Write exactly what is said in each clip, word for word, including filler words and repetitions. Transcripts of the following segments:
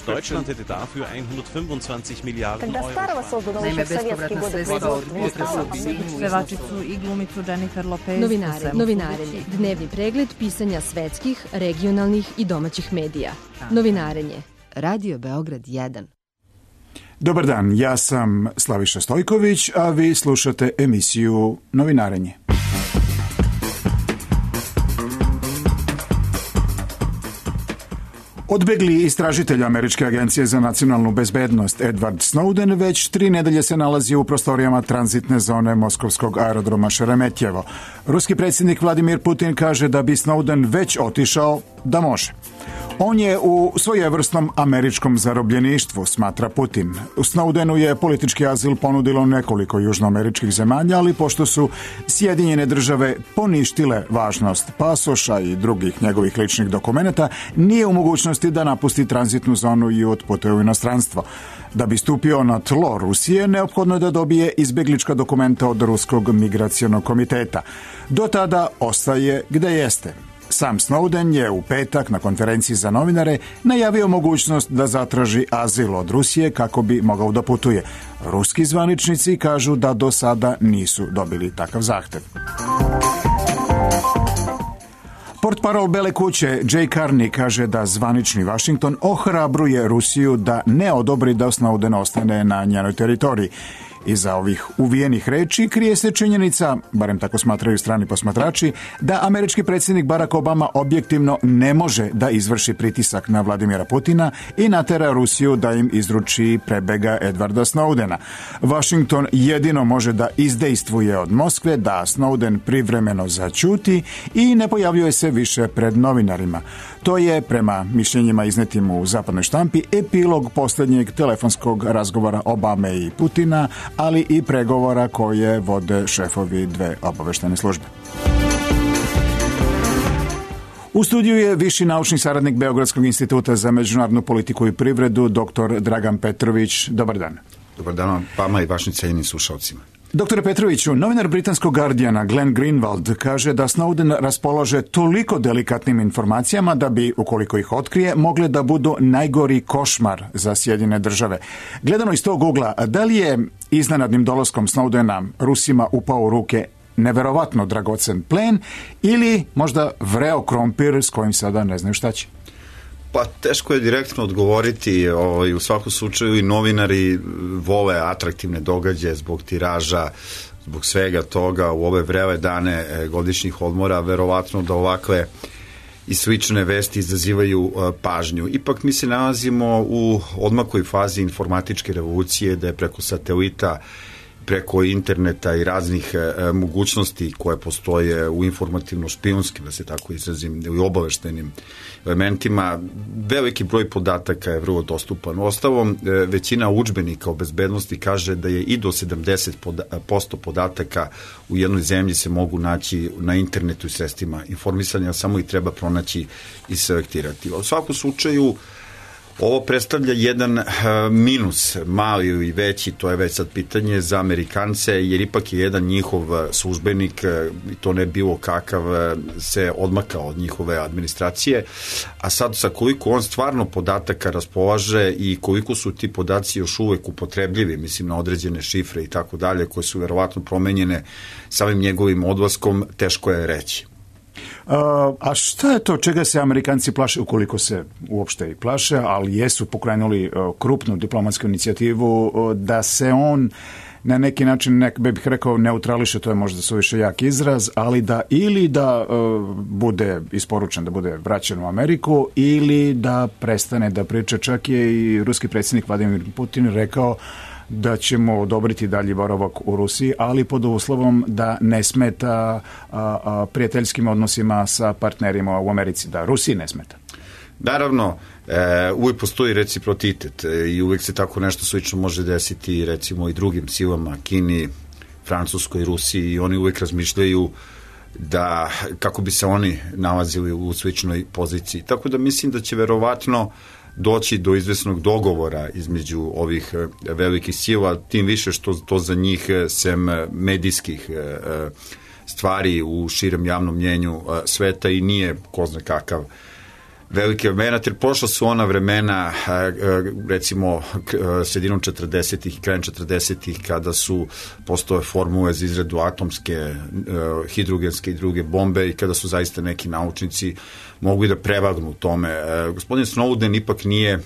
Deutschland hätte dafür hundertfünfundzwanzig Milliarden Euro. Naime, bespovratna sredstva od pevačicu i glumicu Jennifer Lopez. Novinare, novinarenje, dnevni pregled pisanja svetskih, regionalnih i domaćih medija. Novinarenje, Radio Beograd jedan. Dobar dan, ja sam Slaviša Stojković, a vi slušate emisiju Novinarenje. Odbegli istražitelj Američke agencije za nacionalnu bezbednost Edward Snowden već tri nedelje se nalazi u prostorijama tranzitne zone moskovskog aerodroma Šeremetjevo. Ruski predsjednik Vladimir Putin kaže da bi Snowden već otišao da može. On je u svojevrsnom američkom zarobljeništvu, smatra Putin. U Snowdenu je politički azil ponudilo nekoliko južnoameričkih zemalja, ali pošto su Sjedinjene države poništile važnost pasoša i drugih njegovih ličnih dokumenata, nije u mogućnosti da napusti tranzitnu zonu i otputuje u inostranstvo. Da bi stupio na tlo Rusije, neophodno je da dobije izbjeglička dokumenta od Ruskog migracionog komiteta. Do tada ostaje gde jeste. Sam Snowden je u petak na konferenciji za novinare najavio mogućnost da zatraži azil od Rusije kako bi mogao da putuje. Ruski zvaničnici kažu da do sada nisu dobili takav zahtev. Portparol Bele kuće Jay Carney kaže da zvanični Washington ohrabruje Rusiju da ne odobri da Snowden ostane na njenoj teritoriji. Iza ovih uvijenih reči krije se činjenica, barem tako smatraju strani posmatrači, da američki predsjednik Barack Obama objektivno ne može da izvrši pritisak na Vladimira Putina i natera Rusiju da im izruči prebega Edwarda Snowdena. Washington jedino može da izdejstvuje od Moskve da Snowden privremeno zaćuti i ne pojavljuje se više pred novinarima. To je, prema mišljenjima iznetim u zapadnoj štampi, epilog posljednjeg telefonskog razgovora Obame i Putina, ali i pregovora koje vode šefovi dve obaveštene službe. U studiju je viši naučni saradnik Beogradskog instituta za međunarodnu politiku i privredu, doktor Dragan Petrović. Dobar dan. Dobar dan vama i vašim cijenjenim slušalcima. Doktore Petroviću, novinar britanskog Guardiana Glenn Greenwald kaže da Snowden raspolaže toliko delikatnim informacijama da bi, ukoliko ih otkrije, mogle da budu najgori košmar za Sjedinjene države. Gledano iz tog ugla, da li je iznenadnim dolaskom Snowdena Rusima upao u ruke neverovatno dragocen plen ili možda vreo krompir s kojim sada ne znaju šta će? Pa teško je direktno odgovoriti, ovaj, u svakom slučaju i novinari vole atraktivne događaje zbog tiraža, zbog svega toga u ove vrele dane godišnjih odmora, verovatno da ovakve i slične vesti izazivaju uh, pažnju. Ipak mi se nalazimo u odmakloj fazi informatičke revolucije, da je preko satelita, preko interneta i raznih e, mogućnosti koje postoje u informativno-špijunskim, da se tako izrazim, i obaveštenim elementima, veliki broj podataka je vrlo dostupan. Ostalom, e, većina udžbenika o bezbednosti kaže da je i do sedamdeset posto podataka u jednoj zemlji se mogu naći na internetu i sredstvima informisanja, samo ih treba pronaći i selektirati. U svakom slučaju, ovo predstavlja jedan uh, minus, mali ili veći, to je već sad pitanje za Amerikance, jer ipak je jedan njihov službenik, i to ne bilo kakav, se odmakao od njihove administracije, a sad sa koliko on stvarno podataka raspolaže i koliko su ti podaci još uvek upotrebljivi, mislim na određene šifre i tako dalje, koje su verovatno promenjene samim njegovim odlaskom, teško je reći. Uh, a šta je to čega se Amerikanci plaše, ukoliko se uopšte i plaše, ali jesu pokrenuli uh, krupnu diplomatsku inicijativu uh, da se on na neki način, nek bih rekao, neutrališe, to je možda suviše jak izraz, ali da ili da uh, bude isporučen, da bude vraćen u Ameriku, ili da prestane da priča. Čak je i ruski predsjednik Vladimir Putin rekao da ćemo odobriti dalji boravak u Rusiji, ali pod uslovom da ne smeta a, a, prijateljskim odnosima sa partnerima u Americi, da Rusiji ne smeta. Naravno, e, uvijek postoji reciprocitet e, i uvijek se tako nešto slično može desiti recimo i drugim silama, Kini, Francuskoj, Rusiji, i oni uvijek razmišljaju da kako bi se oni nalazili u sličnoj poziciji. Tako da mislim da će verovatno doći do izvesnog dogovora između ovih velikih sila, tim više što to za njih, sem medijskih stvari u širem javnom mnjenju sveta, i nije ko zna kakav velike vremena, jer prošla su ona vremena, recimo sredinom četrdesetih i krajem četrdesetih, kada su postoje formule za izradu atomske, hidrogenske i druge bombe i kada su zaista neki naučnici mogli da prevagnu u tome. Gospodin Snowden ipak nije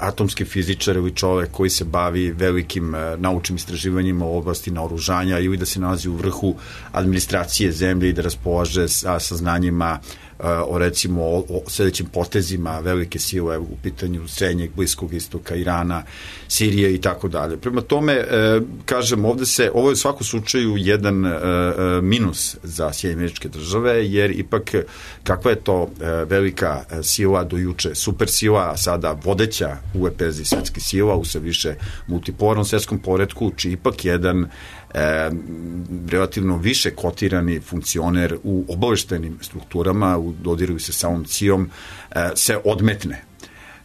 atomski fizičar ili čovek koji se bavi velikim naučnim istraživanjima u oblasti naoružanja ili da se nalazi u vrhu administracije zemlje i da raspolaže sa saznanjima o recimo o, o sledećim potezima velike sile u pitanju srednjeg, Bliskog istoka, Irana, Sirije i tako dalje. Prema tome, e, kažem, ovde se, ovo je u svakom slučaju jedan e, minus za Sjedinjene Američke Države, jer ipak kakva je to e, velika sila do juče, super sila, a sada vodeća u lepezi svetskih sila u sve više multipolarnom svetskom poretku, či ipak jedan E, relativno više kotirani funkcioner u obaveštajnim strukturama, u dodiru sa samom C I A-om, e, se odmetne.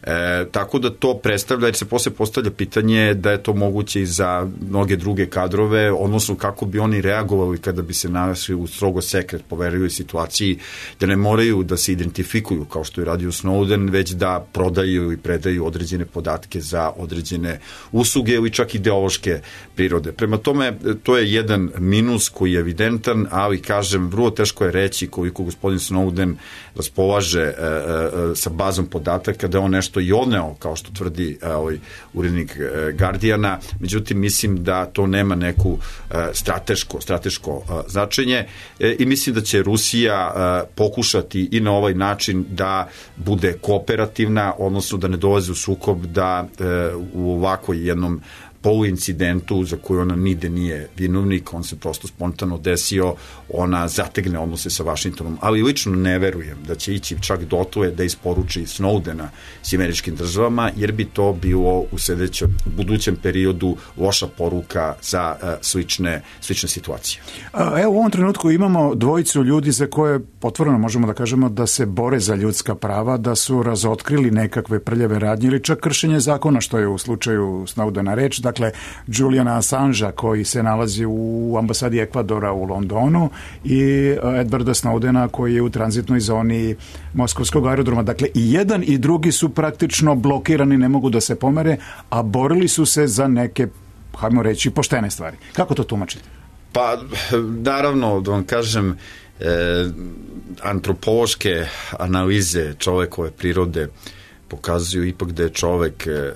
E, tako da to predstavlja, jer se posle postavlja pitanje da je to moguće i za mnoge druge kadrove, odnosno kako bi oni reagovali kada bi se našli u strogo sekret poverljivoj situaciji, da ne moraju da se identifikuju kao što je radio Snowden, već da prodaju i predaju određene podatke za određene usluge ili čak ideološke prirode. Prema tome, to je jedan minus koji je evidentan, ali kažem, vrlo teško je reći koliko gospodin Snowden raspolaže e, e, sa bazom podataka, da on nešto i odneo, kao što tvrdi ovaj urednik Guardiana, međutim mislim da to nema neku strateško, strateško značenje i mislim da će Rusija pokušati i na ovaj način da bude kooperativna, odnosno da ne dolazi u sukob, da u ovakvoj jednom poluincidentu za koju ona nide nije vinovnik, on se prosto spontano desio, ona zategne odnose sa Vašingtonom, ali lično ne verujem da će ići čak dotle da isporuči Snowdena s Američkim državama, jer bi to bilo u sledećem, budućem periodu loša poruka za uh, slične, slične situacije. Evo, u ovom trenutku imamo dvojicu ljudi za koje potvoreno možemo da kažemo da se bore za ljudska prava, da su razotkrili nekakve prljave radnje ili čak kršenje zakona, što je u slučaju Snowdena reč. Dakle, Juliana Assangea koji se nalazi u ambasadi Ekvadora u Londonu i Edwarda Snowdena koji je u tranzitnoj zoni Moskovskog aerodroma. Dakle, i jedan i drugi su praktično blokirani, ne mogu da se pomere, a borili su se za neke, hajmo reći, poštene stvari. Kako to tumačite? Pa, naravno, da vam kažem, e, antropološke analize čovekove prirode pokazuju ipak da je čovek e, e,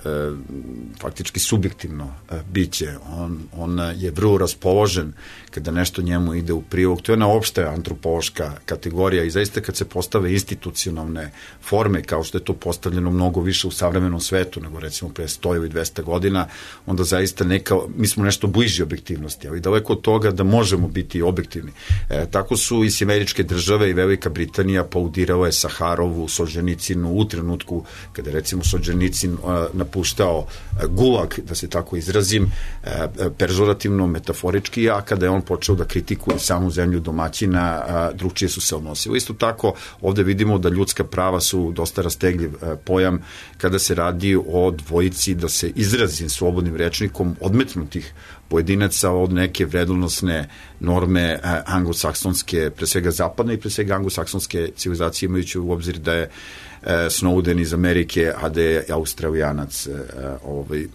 faktički subjektivno e, biće. On, on je vrlo raspoložen kada nešto njemu ide u prilog. To je jedna opšta antropološka kategorija i zaista kad se postave institucionalne forme, kao što je to postavljeno mnogo više u savremenom svetu nego recimo pre sto ili dvesta godina, onda zaista neka, mi smo nešto bliži objektivnosti, ali daleko od toga da možemo biti objektivni. E, tako su i Američke države i Velika Britanija paudirale Saharovu, Solženicinu u trenutku kada je recimo Solženicin uh, napuštao uh, gulag, da se tako izrazim, uh, pežorativno, metaforički, a kada je on počeo da kritikuje samu zemlju domaćina, uh, drugčije su se odnosili. Isto tako, ovde vidimo da ljudska prava su dosta rastegljiv uh, pojam kada se radi o dvojici, da se izrazim slobodnim rečnikom, odmetnutih pojedinaca od neke vrednosne norme uh, anglosaksonske, pre svega zapadne i pre svega anglosaksonske civilizacije, imajući u obzir da je Snowden iz Amerike, a da je Australijanac, ovaj,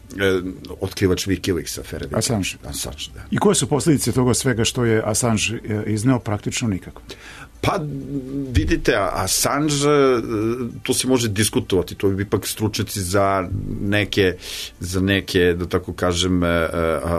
otkrivač Wikileaksa, afere Assange. Assange, da. I koje su posljedice toga svega što je Assange izneo? Praktično nikako. Pa, vidite, Assange, to se može diskutovati, to bi ipak stručnjaci za neke, za neke, da tako kažem,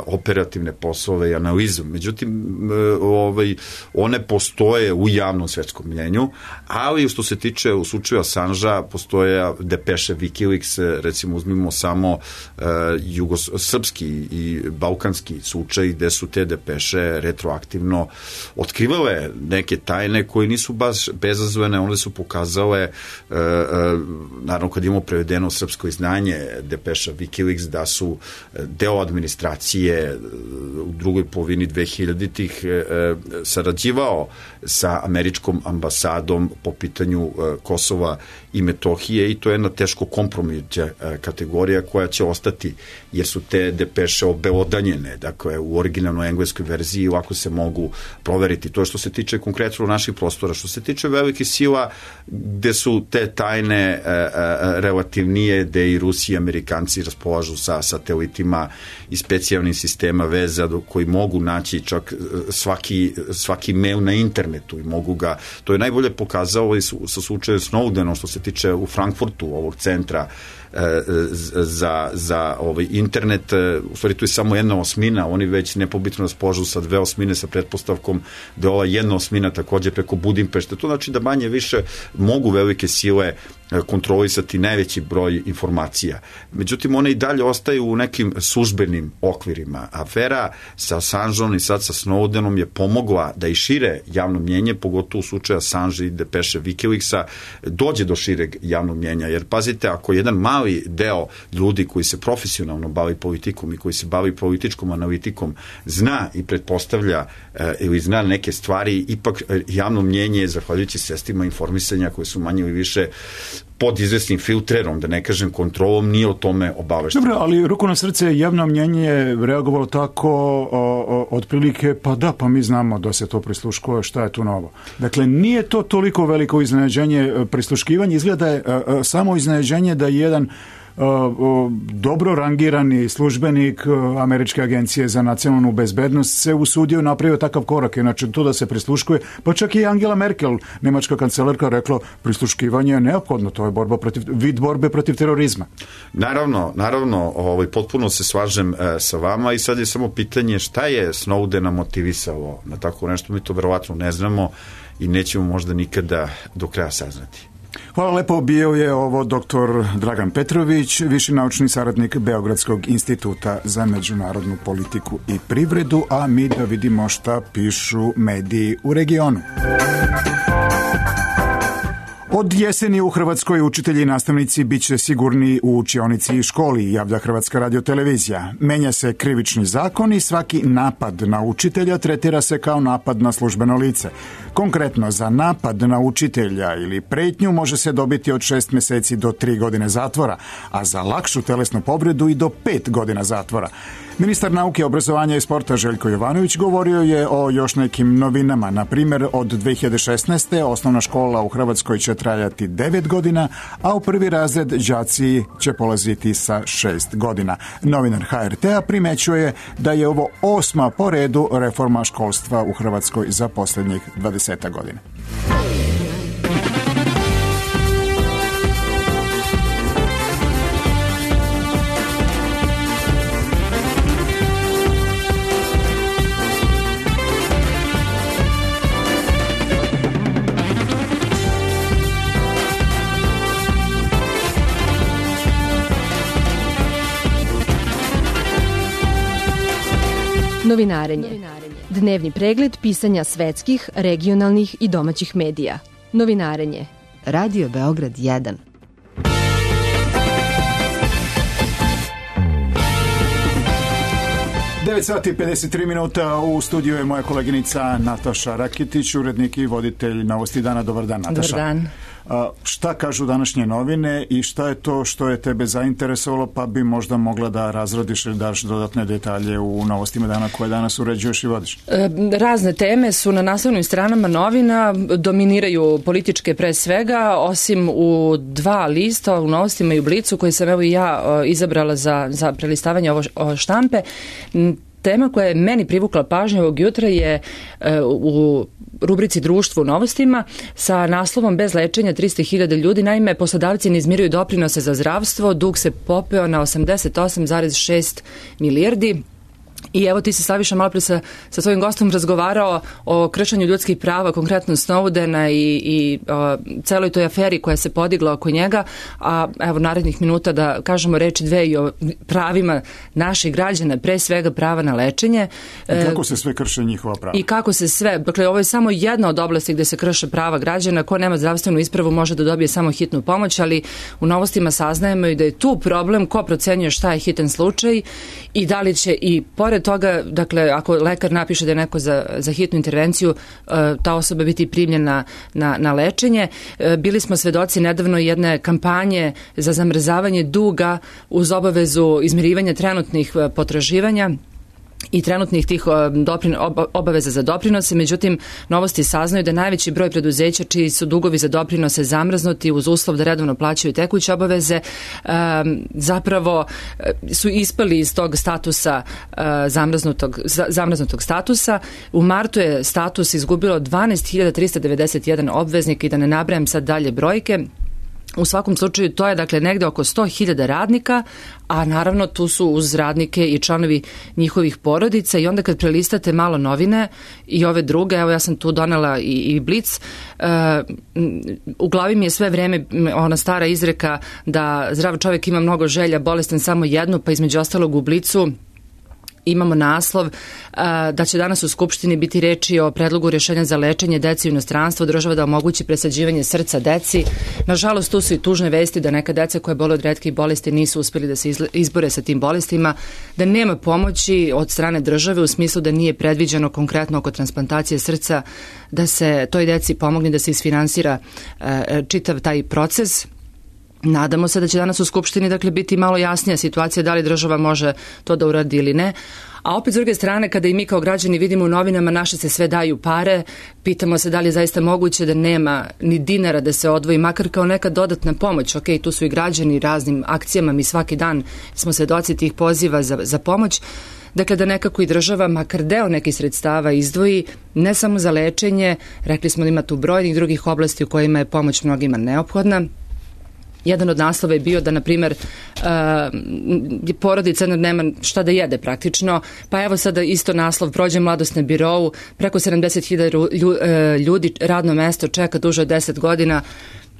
operativne poslove i analizu. Međutim, ovaj, one postoje u javnom svetskom mnjenju, ali što se tiče u slučaju Assangea, postoje depeše Wikileaks, recimo uzmimo samo uh, jugos, srpski i balkanski slučaj gde su te depeše retroaktivno otkrivale neke tajne koje nisu baš bezazvene, one su pokazale, uh, uh, naravno kad imamo prevedeno srpsko izdanje depeša Wikileaks, da su deo administracije u drugoj polovini dvehiljaditih uh, sarađivao sa američkom ambasadom po pitanju uh, Kosova i Metohije i to je jedna teško kompromitna uh, kategorija koja će ostati, jer su te depeše obelodanjene, dakle u originalnoj engleskoj verziji ovako se mogu proveriti. To što se tiče konkretno naših prostora. Što se tiče velikih sila, gde su te tajne e, e, relativnije, gde i Rusi i Amerikanci raspolažu sa satelitima i specijalnim sistema veza koji mogu naći čak svaki, svaki mail na internetu i mogu ga, to je najbolje pokazalo i sa slučaju Snowdenom što se tiče u Frankfurtu ovog centra za, za ovaj internet, u stvari tu je samo jedna osmina, oni već nepobitno raspolažu sa dve osmine sa pretpostavkom da ova jedna osmina takođe preko Budimpešte, to znači da manje više mogu velike sile kontrolisati najveći broj informacija. Međutim, one i dalje ostaju u nekim službenim okvirima. Afera sa Assangeom i sad sa Snowdenom je pomogla da i šire javno mnjenje, pogotovo u slučaju Assange i depeše Wikileaksa, dođe do šireg javnog mnjenja. Jer pazite, ako jedan mali deo ljudi koji se profesionalno bavi politikom i koji se bavi političkom analitikom zna i pretpostavlja e, ili zna neke stvari, ipak javno mnjenje, zahvaljujući sredstvima informisanja koje su manje ili više pod izvesnim filtrerom, da ne kažem kontrolom, nije o tome obavešteno. Dobro, ali ruku na srce, javno mnjenje je reagovalo tako o, o, otprilike, pa da, pa mi znamo da se to prisluškuje, šta je tu novo. Dakle, nije to toliko veliko iznenađenje prisluškivanje, izgleda je a, a, samo iznenađenje da jedan Uh, uh, dobro rangirani službenik uh, Američke agencije za nacionalnu bezbednost se usudio napravio takav korak, inače to da se prisluškuje, pa čak i Angela Merkel, nemačka kancelarka, rekla prisluškivanje je neophodno, to je borba protiv, vid borbe protiv terorizma. Naravno, naravno, ovaj, potpuno se slažem e, sa vama i sad je samo pitanje šta je Snowdena motivisalo na tako nešto, mi to verovatno ne znamo i nećemo možda nikada do kraja saznati. Hvala lepo, bio je ovo doktor Dragan Petrović, viši naučni saradnik Beogradskog instituta za međunarodnu politiku i privredu, a mi da vidimo šta pišu mediji u regionu. Od jeseni u Hrvatskoj učitelji i nastavnici bit će sigurni u učionici i školi, javlja Hrvatska radiotelevizija. Menja se krivični zakon i svaki napad na učitelja tretira se kao napad na službeno lice. Konkretno, za napad na učitelja ili pretnju može se dobiti od šest meseci do tri godine zatvora, a za lakšu telesnu povredu i do pet godina zatvora. Ministar nauke, obrazovanja i sporta Željko Jovanović govorio je o još nekim novinama. Na primjer, od dve hiljade šesnaeste. osnovna škola u Hrvatskoj će trajati devet godina, a u prvi razred đaci će polaziti sa šest godina. Novinar H R T-a primećuje da je ovo osma po redu reforma školstva u Hrvatskoj za posljednjih dvadeset godina. Novinarenje. Dnevni pregled pisanja svetskih, regionalnih i domaćih medija. Novinarenje. Radio Beograd jedan. devet sati i pedeset tri minuta, u studiju je moja koleginica Nataša Rakitić, urednik i voditelj Novosti dana. Dobar dan, Nataša. Dobar dan. A, šta kažu današnje novine i šta je to što je tebe zainteresovalo, pa bi možda mogla da razrodiš ili daš dodatne detalje u Novostima dana koje danas uređuješ i vodiš? E, razne teme su na naslovnim stranama novina, dominiraju političke pre svega, osim u dva lista, u Novostima i u Blicu, koji sam evo i ja o, izabrala za, za prelistavanje ovo o štampe. Tema koja je meni privukla pažnju ovog jutra je e, u rubrici Društvo u Novostima sa naslovom Bez lečenja trista hiljada ljudi. Naime, poslodavci ne izmiruju doprinose za zdravstvo, dug se popeo na osamdeset osam zarez šest milijardi. I evo ti se, Slaviša, malo pre sa, sa svojim gostom razgovarao o kršenju ljudskih prava, konkretno Snowdena i, i o, celoj toj aferi koja se podigla oko njega, a evo narednih minuta da kažemo reči dve i o pravima naših građana, pre svega prava na lečenje. I kako se sve krše njihova prava? I kako se sve, dakle ovo je samo jedna od oblasti gde se krše prava građana, ko nema zdravstvenu ispravu može da dobije samo hitnu pomoć, ali u Novostima saznajemo i da je tu problem ko procenjuje šta je hitan slučaj i da li će i pored toga, dakle, ako lekar napiše da je neko za, za hitnu intervenciju, ta osoba biti primljena na, na lečenje. Bili smo svedoci nedavno jedne kampanje za zamrzavanje duga uz obavezu izmirivanja trenutnih potraživanja. i trenutnih tih doprin, obaveza za doprinose, međutim novosti saznaju da najveći broj preduzeća čiji su dugovi za doprinose zamrznuti uz uslov da redovno plaćaju tekuće obaveze zapravo su ispali iz tog statusa zamrznutog, zamrznutog statusa. U martu je status izgubilo dvanaest hiljada trista devedeset jedan obveznik i da ne nabrajam sad dalje brojke. U svakom slučaju to je dakle negde oko sto hiljada radnika, a naravno tu su uz radnike i članovi njihovih porodica i onda kad prelistate malo novine i ove druge, evo ja sam tu donela i, i Blic, uh, u glavi mi je sve vreme ona stara izreka da zdrav čovjek ima mnogo želja, bolestan samo jednu, pa između ostalog u Blicu imamo naslov a, da će danas u Skupštini biti reči o predlogu rješenja za lečenje deci u inostranstvu, država da omogući presađivanje srca deci. Nažalost, tu su i tužne vesti da neka deca koja bole od retkih bolesti nisu uspjeli da se izbore sa tim bolestima, da nema pomoći od strane države u smislu da nije predviđeno konkretno oko transplantacije srca da se toj deci pomogne da se isfinansira a, čitav taj proces. Nadamo se da će danas u Skupštini dakle biti malo jasnija situacija da li država može to da uradi ili ne. A opet s druge strane, kada i mi kao građani vidimo u novinama naše se sve daju pare, pitamo se da li je zaista moguće da nema ni dinara da se odvoji, makar kao neka dodatna pomoć. Ok, tu su i građani raznim akcijama, mi svaki dan smo svedoci tih poziva za, za pomoć. Dakle, da nekako i država makar deo nekih sredstava izdvoji, ne samo za lečenje, rekli smo da ima tu brojnih drugih oblasti u kojima je pomoć mnogima neophodna. Jedan od naslova je bio da, na primjer, uh, porodica nema šta da jede praktično, pa evo sada isto naslov, prođe mladost na birou, preko sedamdeset hiljada ljudi radno mesto čeka duže od deset godina,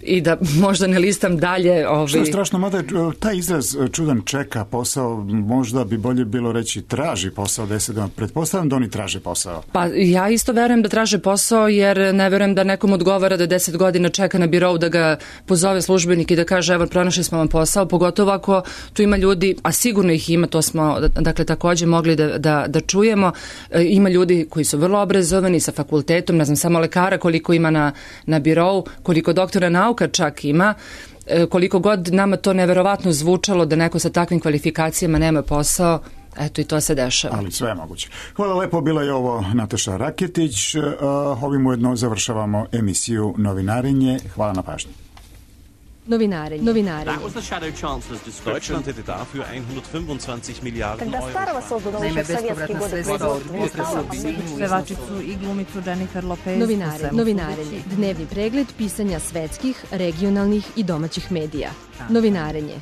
i da možda ne listam dalje. Ovi... Što je strašno, mada taj izraz čudan čeka posao, možda bi bolje bilo reći traži posao deset godina. Pretpostavljam da oni traže posao. Pa ja isto verujem da traže posao, jer ne verujem da nekom odgovara da deset godina čeka na birou da ga pozove službenik i da kaže evo pronašli smo vam posao, pogotovo ako tu ima ljudi, a sigurno ih ima, to smo dakle takođe mogli da, da, da čujemo, e, ima ljudi koji su vrlo obrazovani sa fakultetom, ne znam samo lekara koliko ima na, na birou, koliko doktora nauka čak ima, koliko god nama to neverovatno zvučalo da neko sa takvim kvalifikacijama nema posao, eto i to se dešava. Ali sve je moguće. Hvala lepo, bila je ovo Nataša Raketić. Ovim ujedno završavamo emisiju Novinarenje. Hvala na pažnji. Novinarenje. Novinarenje. Deutschland hätte dafür hundertfünfundzwanzig Milliarden Euro. Naime, bespovratna sredstva od pevačicu i glumicu Jennifer Lopez. Novinarenje. Novinarenje. Dnevni pregled pisanja svetskih, regionalnih i domaćih medija. Novinarenje.